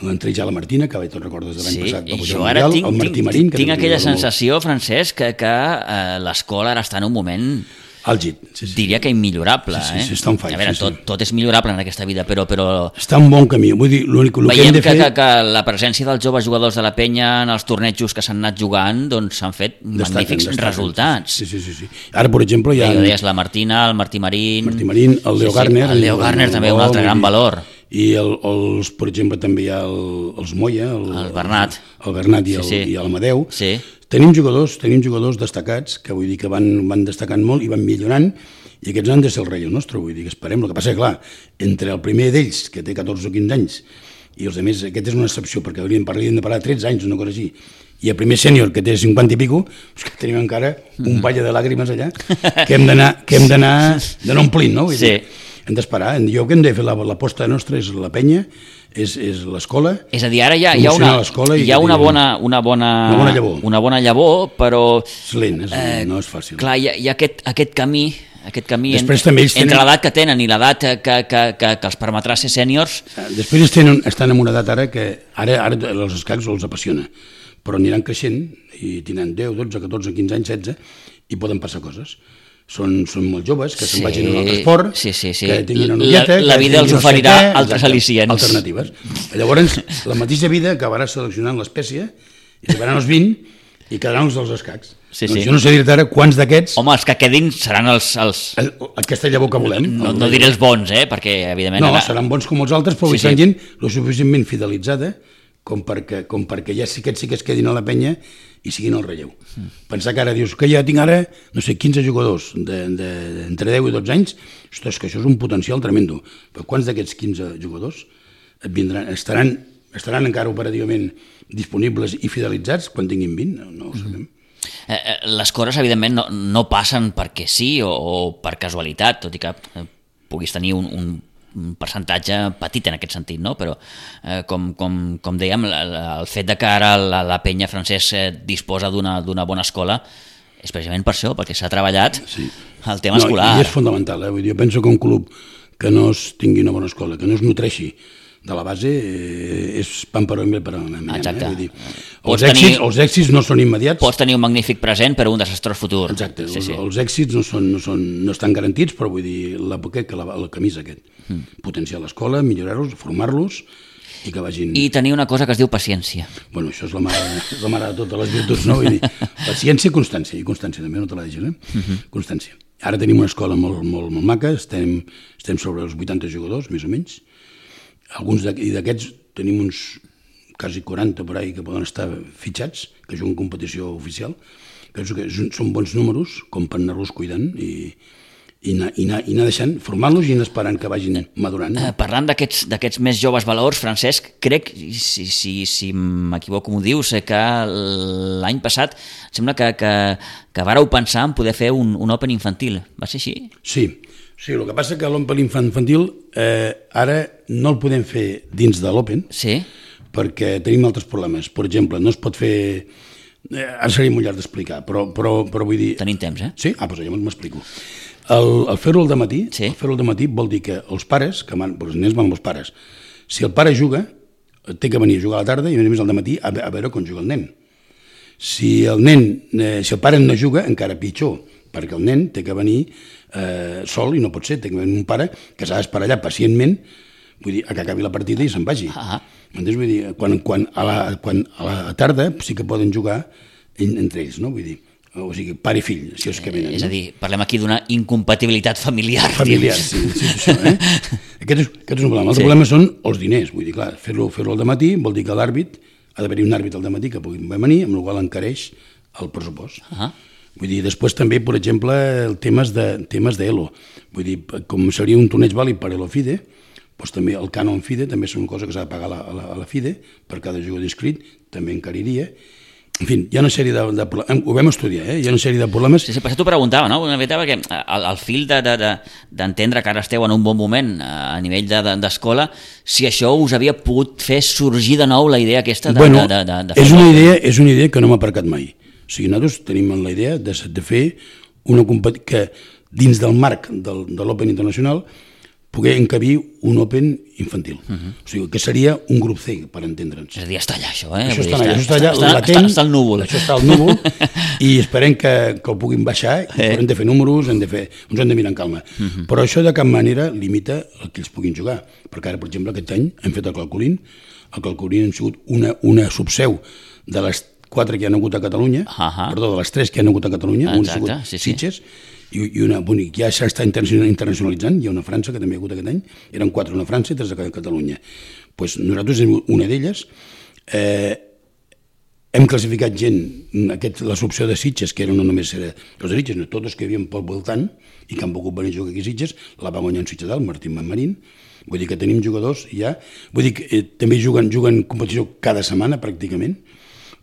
l'entré ja la Martina, que te'n recordes de l'any Sí, passat, va i pujar jo al ara Mundial, tinc, el Martí tinc, Marín, que tinc també aquella jugava molt. sensació, Francesc, que, que eh, l'escola ara està en un moment, Àlgid, sí, sí. diria que immillorable. Sí, sí, sí, eh? està on fai, A veure, sí, sí. tot, tot és millorable en aquesta vida, però, però Està en bon camí, vull dir, l'únic el que veiem hem de que, fer... que, que la presència dels joves jugadors de la penya en els tornejos que s'han anat jugant doncs s'han fet Destaquen, magnífics destaquen, resultats. Sí, sí, sí, sí. Ara, per exemple, hi ha... Ja ho deies, la Martina, el Martí Marín... Martí Marín, el Leo Garner... El Leo Garner també, un altre gran valor. I, el, els, per exemple, també hi ha el, els Moya... El, El Bernat. El, el Bernat i, el, Sí, sí. i l'Amadeu. Sí. Tenim jugadors, tenim jugadors destacats, que vull dir que van, van destacant molt i van millorant, i aquests han de ser el rei nostre, vull dir que esperem. El que passa és que, clar, entre el primer d'ells, que té catorze o quinze anys, i els altres, aquest és una excepció, perquè hauríem, hauríem de parlar de tretze anys, una cosa així, i el primer sènior, que té cinquanta i pico, és que tenim encara un ball de làgrimes allà, que hem d'anar que hem d'anar d'anar omplint, no? Vull Sí. dir, hem d'esperar. Jo que hem de fer l'aposta nostra és la penya, és, és l'escola. És a dir, ara hi ha, hi ha, una, hi ha una, bona, una, bona, una bona llavor, una bona llavor, però... És lent, és, eh, no és fàcil. Clar, hi ha, hi ha aquest, aquest camí, aquest camí Després en, també ells entre tenen- l'edat que tenen i l'edat que, que, que, que els permetrà ser sèniors. Després ells tenen, estan en una edat ara que ara, ara els escacs els apassiona, però aniran creixent i tindran deu, dotze, catorze, quinze anys, setze, i poden passar coses. Són, són molt joves, que Sí, se'n vagin a un altre esport, sí, sí, sí. que tinguin una La- noieta... la que vida els tinguin no sé oferirà què, altres exacte, al·licients. alternatives. Llavors, la mateixa vida acabarà seleccionant l'espècie, i arribaran els vint, i quedaran els dels escacs. Sí, doncs sí. jo no sé dir-te ara quants d'aquests, Home, els que quedin seran els... els el- aquesta llavor que volem. no, el- no diré els bons, eh? Perquè, evidentment... No, ara- seran bons com els altres, però Sí, sí, sí. sí. gent lo suficientment fidelitzada com perquè, com perquè ja sí que sí que es quedin a la penya i siguin el relleu. Mm. Pensar que ara dius que ja tinc ara, no sé, quinze jugadors de, de, entre deu i dotze anys, ostres, que això és un potencial tremendo. Però quants d'aquests quinze jugadors et vindran, estaran, estaran encara operativament disponibles i fidelitzats quan tinguin vint? No, no ho sabem. Eh, eh, les coses, evidentment, no, no passen perquè sí o, o per casualitat, tot i que eh, puguis tenir un, un un percentatge petit en aquest sentit, no? Però eh, com, com, com dèiem, la, la, el fet de que ara la, la penya francès eh, disposa d'una d'una bona escola és precisament per això, perquè s'ha treballat Sí. el tema escolar. No, i és fonamental, eh? Vull dir, jo penso que un club que no es tingui una bona escola, que no es nutreixi de la base, eh, és pan per home per a la mañana. Exacte. Eh? Vull dir, Pots els, èxits, tenir- els èxits no són immediats. Pots tenir un magnífic present però un desastrós futur. Exacte, Sí, sí. Els, els èxits no, són, no, són, no estan garantits, però vull dir, la, que, que la, el camí és aquest. Mm. Potenciar l'escola, millorar-los, formar-los i que vagin... I tenir una cosa que es diu paciència. Bueno, això és la mare, és la mare de totes les virtuts, no? Vull dir, paciència i constància, i constància també, no te la deixes, eh? Uh -huh. Constància. Ara tenim una escola molt, molt, molt maca, estem, estem sobre els vuitanta jugadors, més o menys. Alguns d'aquests tenim uns quasi quaranta per ahí que poden estar fitxats, que juguen competició oficial. Penso que són bons números, com per anar-los cuidant i, i, anar, i, anar, i anar deixant, formant-los i anar esperant que vagin madurant. Eh, parlant d'aquests d'aquests més joves valors, Francesc, crec, si, si, si m'equivoco m'ho dius, eh, que l'any passat sembla que, que, que vareu pensar en poder fer un, un Open infantil. Va ser així? Sí, sí, el que passa que l'Open infantil eh, ara no el podem fer dins de l'Open, Sí? perquè tenim altres problemes. Per exemple, no es pot fer... Eh, ara seria molt llarg d'explicar, però, però, però vull dir... Tenim temps, eh? Sí? Ah, doncs llavors m'explico. El, el fer-ho al dematí, Sí. el fer-ho al dematí vol dir que els pares, que van, els nens van amb els pares, si el pare juga, té que venir a jugar a la tarda i a més a més al dematí a, a veure com juga el nen. Si el nen, eh, si el pare no juga, encara pitjor, perquè el nen té que venir eh, sol i no pot ser, té que venir un pare que s'ha d'esperar allà pacientment, vull dir, a que acabi la partida i se'n vagi. Ah. Entens? Vull dir, quan, quan, a la, quan a la tarda sí que poden jugar en, entre ells, no? Vull dir, o sigui, pare i fill, si és que venen. És no? a dir, parlem aquí d'una incompatibilitat familiar. Familiar, dius. sí, sí, això, eh? Aquest és, aquest és un problema. L'altre Sí. problema són els diners, vull dir, clar, fer-lo fer al dematí vol dir que l'àrbit, ha d'haver-hi un àrbit al dematí que pugui venir, amb el qual encareix el pressupost. Ah. Vull dir, després també, per exemple, el temes de temes d'Elo. Vull dir, com seria un torneig vàlid per Elo FIDE, doncs també el cànon FIDE també és una cosa que s'ha de pagar a la, a la, a la FIDE per cada jugador inscrit, també encariria. En fi, hi ha una sèrie de, de problemes, ho vam estudiar, eh? Hi ha una sèrie de problemes. Sí, sí, per això t'ho preguntava, no? Una mica perquè al, al fil d'entendre de, de, de que ara esteu en un bon moment a nivell d'escola, de, de, si això us havia pogut fer sorgir de nou la idea aquesta de, bueno, de, de, de és una idea, és una idea que no m'ha aparcat mai. O sigui, nosaltres tenim la idea de, de fer una competició que dins del marc del, de l'Open Internacional poder encabir un Open infantil. Uh -huh. O sigui, que seria un grup C, per entendre'ns. És a dir, està allà, això, eh? Això Vull està, dir, allà, està, això està allà, està, latent. Està, està al núvol. Això està al núvol i esperem que, que ho puguin baixar i eh. hem de fer números, hem de fer, ens hem de mirar en calma. Uh -huh. Però això de cap manera limita el que ells puguin jugar. Perquè ara, per exemple, aquest any hem fet el Calcolín. El Calcolín ha sigut una, una subseu de les quatre que hi ha hagut a Catalunya, uh -huh. perdó, de les tres que hi ha hagut a Catalunya, un ha sigut sí, sí. Sitges, i una, bonic, ja s'està internacionalitzant, hi ha una a França que també hi ha hagut aquest any, eren quatre, una a França i tres a Catalunya. Pues nosaltres, una d'elles, eh, hem classificat gent, aquest, la subseu de Sitges, que era no només era els de Sitges, no, tots que hi havia pel voltant i que han pogut venir a jugar aquí a Sitges, la va guanyar en Sitges dalt, Martín Manmarín. Vull dir que tenim jugadors ja, vull dir que eh, també juguen, juguen competició cada setmana pràcticament.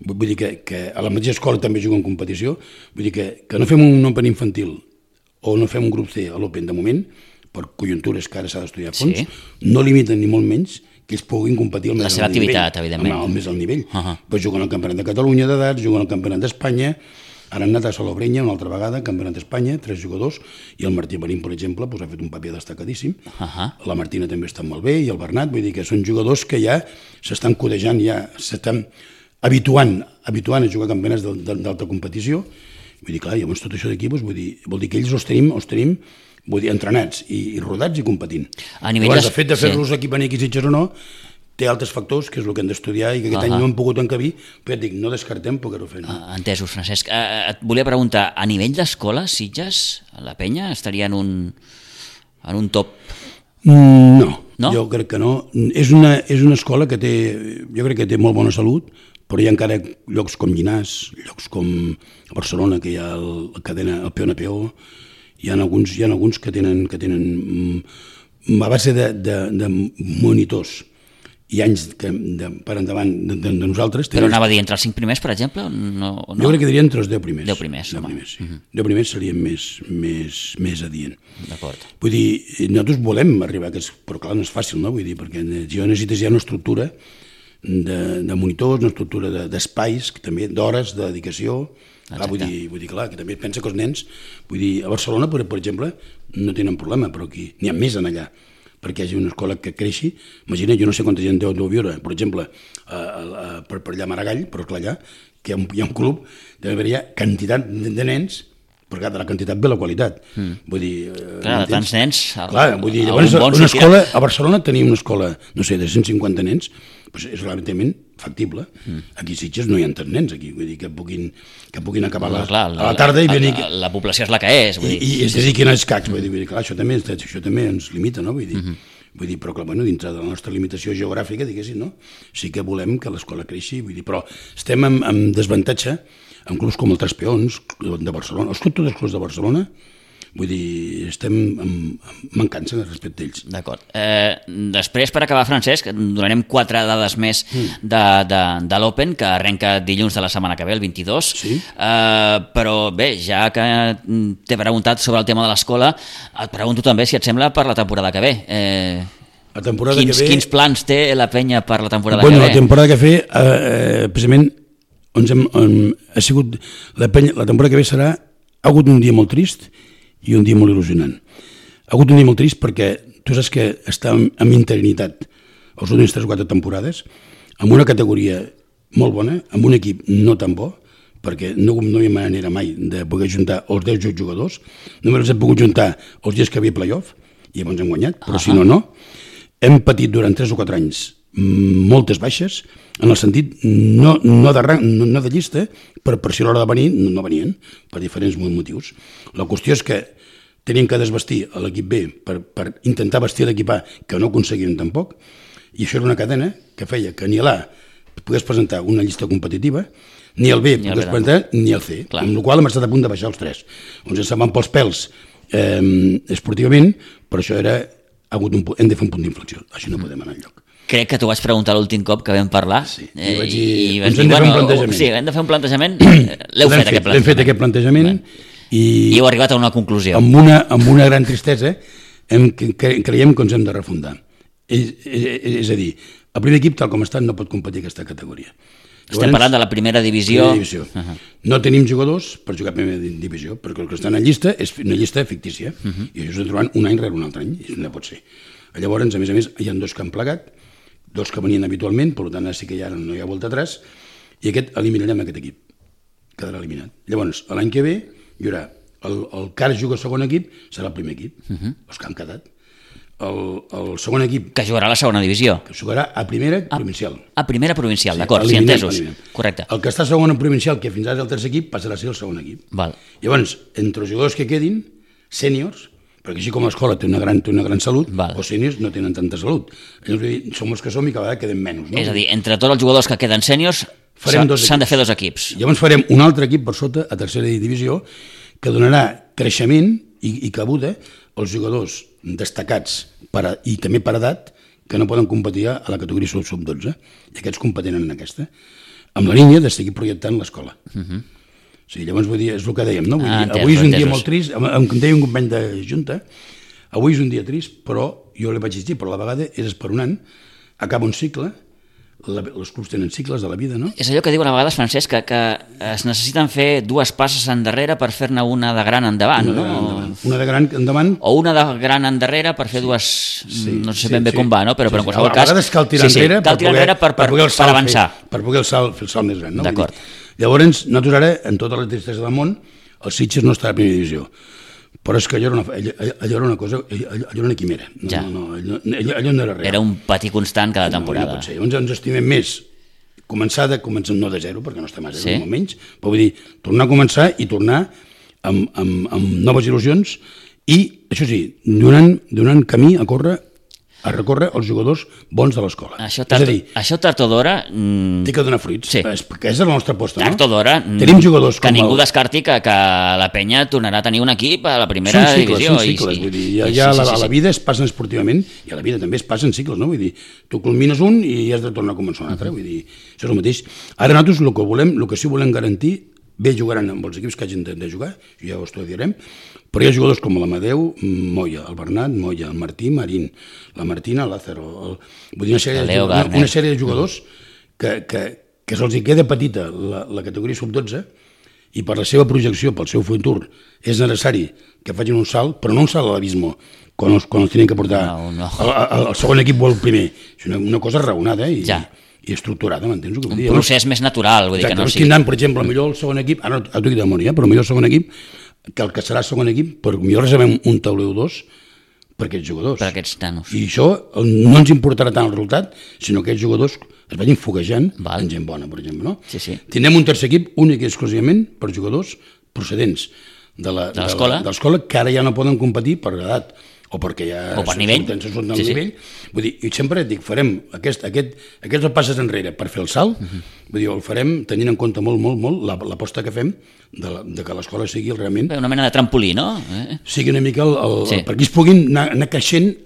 Vull dir que, que a la mateixa escola també juguen competició, vull dir que, que no fem un Open infantil o no fem un grup C a l'Open de moment, per conjuntures que ara s'ha d'estudiar a fons, sí. no limiten ni molt menys que ells puguin competir al més alt nivell. La seva activitat, nivell, evidentment. Al més alt nivell. Uh -huh. Pues juguen al Campionat de Catalunya d'edats, juguen al Campionat d'Espanya, ara han anat a Salobreña una altra vegada, Campionat d'Espanya, tres jugadors, i el Martí Marín, per exemple, pues, ha fet un paper destacadíssim. Uh -huh. La Martina també està molt bé, i el Bernat, vull dir que són jugadors que ja s'estan codejant, ja s'estan habituant, habituant a jugar a campionats d'alta competició. Vull dir, clar, llavors tot això d'aquí doncs, vull dir, vol dir que ells els tenim, els tenim vull dir, entrenats i, i rodats i competint. A nivell llavors, de... el fet de fer-los sí. aquí venir aquí Sitges o no, té altres factors, que és el que hem d'estudiar i que aquest uh -huh. any no hem pogut encabir, però ja et dic, no descartem poder-ho fer. No? Uh, entesos, Francesc. Uh, et volia preguntar, a nivell d'escola, Sitges, la penya, estaria en un, en un top? Mm, no, no, jo crec que no. És una, és una escola que té, jo crec que té molt bona salut, però hi ha encara llocs com Llinars, llocs com Barcelona, que hi ha el, la cadena, el P O N P O, hi ha alguns, hi ha alguns que tenen, que tenen a base de, de, de monitors i anys que, de, per endavant de, de, de nosaltres. Però anava a dir, entre els cinc primers, per exemple? No, no? Jo crec que diria entre els deu primers. Deu primers, deu primers, sí. uh -huh. deu primers serien més, més, més adient. D'acord. Vull dir, nosaltres volem arribar a aquests, però clar, no és fàcil, no? Vull dir, perquè jo necessites ja una estructura de, de monitors, una estructura d'espais, de, també d'hores, de dedicació. Clar, vull dir, vull dir, clar, que també pensa que els nens, vull dir, a Barcelona, per, per exemple, no tenen problema, però aquí n'hi ha més en allà, perquè hi hagi una escola que creixi. Imagina, jo no sé quanta gent deu, deu viure, per exemple, a, a, a, per, per allà a Maragall, però clar, allà, que hi ha un, hi ha un club, deu haver quantitat de, de nens, perquè de la quantitat ve la qualitat. Mm. Vull dir... Clar, de tants nens... El, clar, vull dir, llavors, bon una escola, a Barcelona tenim una escola, no sé, de cent cinquanta nens, doncs és relativament factible. Mm. Aquí a Sitges no hi ha tants nens, aquí, vull dir, que puguin, que puguin acabar la, clar, la, a la tarda i venir... La, la població és la que és, vull dir. I, i es dediquin als cacs, vull dir, vull dir clar, això també, això també ens limita, no? Vull dir, mm -hmm. vull dir, però clar, bueno, dintre de la nostra limitació geogràfica, diguéssim, no? Sí que volem que l'escola creixi, vull dir, però estem en, en desavantatge amb clubs com el Tres Peons, de Barcelona, els clubs, tots els clubs de Barcelona, vull dir, estem amb, amb mancança respecte a ells. D'acord. Eh, després, per acabar, Francesc, donarem quatre dades més mm. de, de, de l'Open, que arrenca dilluns de la setmana que ve, el vint-i-dos. Sí. Eh, però bé, ja que t'he preguntat sobre el tema de l'escola, et pregunto també, si et sembla, per la temporada que ve. Eh, la temporada quins, que ve... quins plans té la penya per la temporada bueno, que ve? La temporada que ve, eh, precisament, on hem, on ha sigut la, penya, la temporada que ve serà, ha hagut un dia molt trist i un dia molt il·lusionant. Ha hagut un dia molt trist perquè tu saps que estàvem en interinitat els últims tres o quatre temporades, amb una categoria molt bona, amb un equip no tan bo, perquè no, no hi ha manera mai de poder juntar els deu jugadors, només els hem pogut juntar els dies que havia playoff, i llavors hem guanyat, però uh -huh. si no, no. Hem patit durant tres o quatre anys moltes baixes, en el sentit no, no, de, rang, no, no de llista, però per si a l'hora de venir no, no venien, per diferents motius. La qüestió és que tenien que desvestir l'equip B per, per intentar vestir l'equip A, que no aconseguien tampoc, i això era una cadena que feia que ni l'A pogués presentar una llista competitiva, ni el B pogués presentar, ni el C, clar. Amb la qual hem estat a punt de baixar els tres. Ens se'n van pels pèls eh, esportivament, però això era, ha hagut un, hem de fer un punt d'inflexió, així no podem anar enlloc. Crec que t'ho vaig preguntar l'últim cop que vam parlar. Sí, eh, i vaig dir, i ens hem de fer un plantejament. Sí, hem de fer un plantejament. L'heu fet, fet, aquest plantejament. L'hem fet aquest plantejament. I, I heu arribat a una conclusió. Amb una, amb una gran tristesa, hem, cre, creiem que ens hem de refundar. És, és, és a dir, el primer equip, tal com està, no pot competir aquesta categoria. Estem Llavors, parlant de la primera divisió. Primera divisió. Uh -huh. No tenim jugadors per jugar a primera divisió, perquè el que estan en llista és una llista fictícia, uh -huh. i això s'ha trobant un any rere un altre any, i no pot ser. Llavors, a més a més, hi ha dos que han plegat, dos que venien habitualment, per tant, sí que ja no hi ha volta atrás, i aquest eliminarem aquest equip, quedarà eliminat. Llavors, l'any que ve hi haurà el, el que ara juga a segon equip, serà el primer equip, uh -huh. els que han quedat. El, el segon equip... Que jugarà a la segona divisió. Que jugarà a primera a, provincial. A primera provincial, sí, d'acord, sí, entesos. Eliminem. Correcte. El que està a segona provincial, que fins ara és el tercer equip, passarà a ser el segon equip. Val. Llavors, entre els jugadors que quedin, sèniors, perquè així com l'escola té una gran, té una gran salut, Val. els sèniors no tenen tanta salut. Llavors, som els que som i cada vegada quedem menys. No? És a dir, entre tots els jugadors que queden sèniors, s'han de fer dos equips. Llavors farem un altre equip per sota, a tercera divisió, que donarà creixement i, i cabuda als jugadors destacats per a, i també per edat que no poden competir a la categoria sub dotze, i aquests competenen en aquesta, amb la línia de seguir projectant l'escola. Uh -huh. O sigui, llavors, vull dir, és el que dèiem, no? Vull ah, dir, entès, avui és un entesos. dia molt trist, em, em deia un company de Junta, avui és un dia trist, però jo li vaig dir, però a la vegada és esperonant, acaba un cicle, la, els clubs tenen cicles de la vida, no? És allò que diuen a vegades, Francesc, que, que es necessiten fer dues passes endarrere per fer-ne una de gran endavant, una no? De gran endavant. Una de gran endavant... O una de gran endarrere per fer sí. dues... Sí, no sé sí, ben bé sí. com va, no? Però, sí, però en qualsevol sí. cas... A vegades cal tirar sí, sí. enrere, cal tirar enrere per, per, per, per avançar. Fer, per poder el salt, fer el salt més gran, no? D'acord. Llavors, nosaltres ara, en tota la tristesa del món, el Sitges no està a primera divisió. Però és que allò era una, allò, allò era una cosa, allò, allò era una quimera. No, ja. no, no, allò, allò, allò no era real. Era un patir constant cada temporada. No, no pot ser. Llavors ens estimem més començar de començar no de zero, perquè no estem a zero, sí. molt menys, però vull dir, tornar a començar i tornar amb, amb, amb noves il·lusions i, això sí, donant, donant camí a córrer, a recórrer els jugadors bons de l'escola. Això tard, és a dir, això tard o d'hora... Mm, té que donar fruits, sí. és, perquè és la nostra aposta, tard no? Tard o d'hora, tenim jugadors que com ningú el... descarti que, que la penya tornarà a tenir un equip a la primera són cicles, divisió. Són cicles, i, vull dir, ja, ja sí, sí, sí, a la vida es passen esportivament i a la vida també es passen cicles, no? Vull dir, tu culmines un i has de tornar a començar un altre, uh -huh. vull dir, això és el mateix. Ara nosaltres el que volem, el que sí volem garantir, bé jugaran amb els equips que hagin de, de jugar, ja ho estudiarem, però hi ha jugadors com l'Amadeu, Moya, el Bernat, Moya, el Martí, Marín, la Martina, Lázaro, el, vull dir, una sèrie, de, una, una sèrie de jugadors que, que, que se'ls queda petita la, la categoria sub dotze i per la seva projecció, pel seu futur, és necessari que facin un salt, però no un salt a l'abisme, quan els, quan els tenen que portar no, no. Al, al, al segon equip o al primer. És una, una cosa raonada i, ja. i estructurada, m'entens? Un dir? procés no? més natural, vull dir Exacte, que no sigui... Tindran, per exemple, millor el segon equip, ara no t'ho dic de memòria, però millor el segon equip, que el que serà segon equip, per millor reservem un tauleu dos per aquests jugadors. Per aquests nanos. I això no ens importarà tant el resultat, sinó que aquests jugadors es vagin foguejant Val. en gent bona, per exemple. No? Sí, sí. Tindrem un tercer equip únic i exclusivament per jugadors procedents de l'escola, que ara ja no poden competir per edat o perquè ja o per nivell, surten del sí, nivell. Sí. Vull dir, i sempre dic, farem aquest, aquest, aquests passes enrere per fer el salt, uh -huh. vull dir, el farem tenint en compte molt, molt, molt l'aposta que fem de, la, de que l'escola sigui realment... Una mena de trampolí, no? Eh? Sigui una mica el, el, sí. el, perquè es puguin anar, anar creixent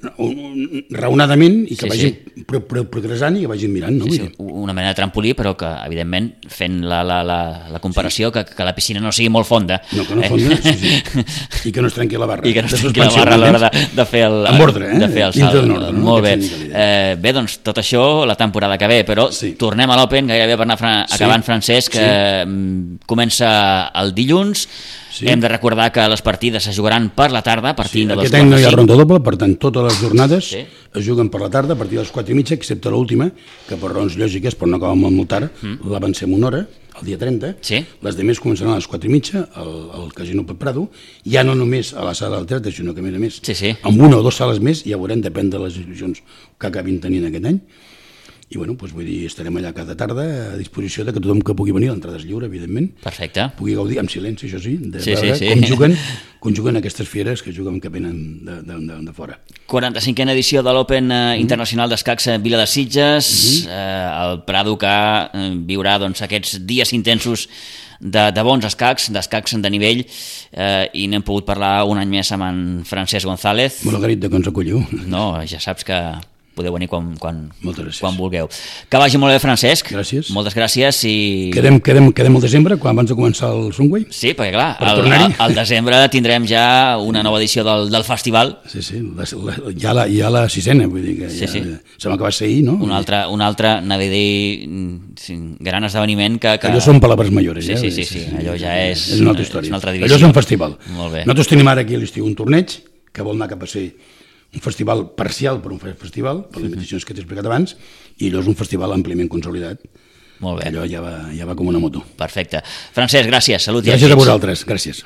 raonadament i que sí, vagin sí. Pro, pro, progressant i que vagin mirant, no? Sí, sí. Una mena de trampolí, però que, evidentment, fent la, la, la, la comparació, sí. que, que la piscina no sigui molt fonda. No, que no fonda, eh? sí, sí. I que no es trenqui la barra. I que no es trenqui la barra a l'hora de, de fer el, amb ordre, eh? de fer el salt. Ordre, no? Molt bé. Eh, bé, doncs, tot això la temporada que ve, però sí. tornem a l'Open, gairebé per anar fra acabant, sí. Francesc, que sí. comença el dilluns. Sí. Hem de recordar que les partides se jugaran per la tarda, a partir sí, de les quatre. Aquest any no hi ha ronda doble, per tant, totes les jornades sí. es juguen per la tarda, a partir de les quatre i mitja, excepte l'última, que per raons lògiques, per no acabar molt, molt tard, mm. l'avancem una hora, el dia trenta. Sí. Les demés començaran a les quatre i mitja, al, al Casino Pep Prado, ja no només a la sala del teatre, sinó que, a més a més, sí, sí. amb una o dues sales més, ja veurem, depèn de les institucions que acabin tenint aquest any. I bueno, doncs vull dir, estarem allà cada tarda a disposició de que tothom que pugui venir, l'entrada és lliure, evidentment. Perfecte. Pugui gaudir, amb silenci, això sí, de sí, veure sí, sí. com juguen, com juguen aquestes fieres que juguen que venen de, de, de, de fora. quaranta-cinquena edició de l'Open eh, Internacional d'Escacs a Vila de Sitges, mm -hmm. eh, el Prado que eh, viurà doncs, aquests dies intensos de, de bons escacs, d'escacs de nivell, eh, i n'hem pogut parlar un any més amb en Francesc González. Molt agraït de que ens acolliu. No, ja saps que podeu venir quan, quan, Moltes gràcies. quan vulgueu. Que vagi molt bé, Francesc. Gràcies. Moltes gràcies. I... Quedem, quedem, quedem al desembre, quan abans de començar el Sunway? Sí, perquè clar, Per al, tornar-hi. al, al desembre tindrem ja una nova edició del, del festival. Sí, sí, la, la, ja, la, ja la sisena, vull dir que Sí, ja, sí. sembla que va ser ahir, no? Un altre, un altre anava a dir, sí, gran esdeveniment que... que... Allò són palabres mayores, Sí, ja. sí, sí, sí, allò ja és... És una altra història. És una altra divisió. Allò és un festival. Molt bé. Nosaltres tenim ara aquí a l'estiu un torneig que vol anar cap a ser un festival parcial per un festival, per les limitacions que t'he explicat abans, i allò és un festival àmpliament consolidat. Molt bé. Allò ja va, ja va com una moto. Perfecte. Francesc, gràcies. Salut i Gràcies a èxits. vosaltres. Gràcies.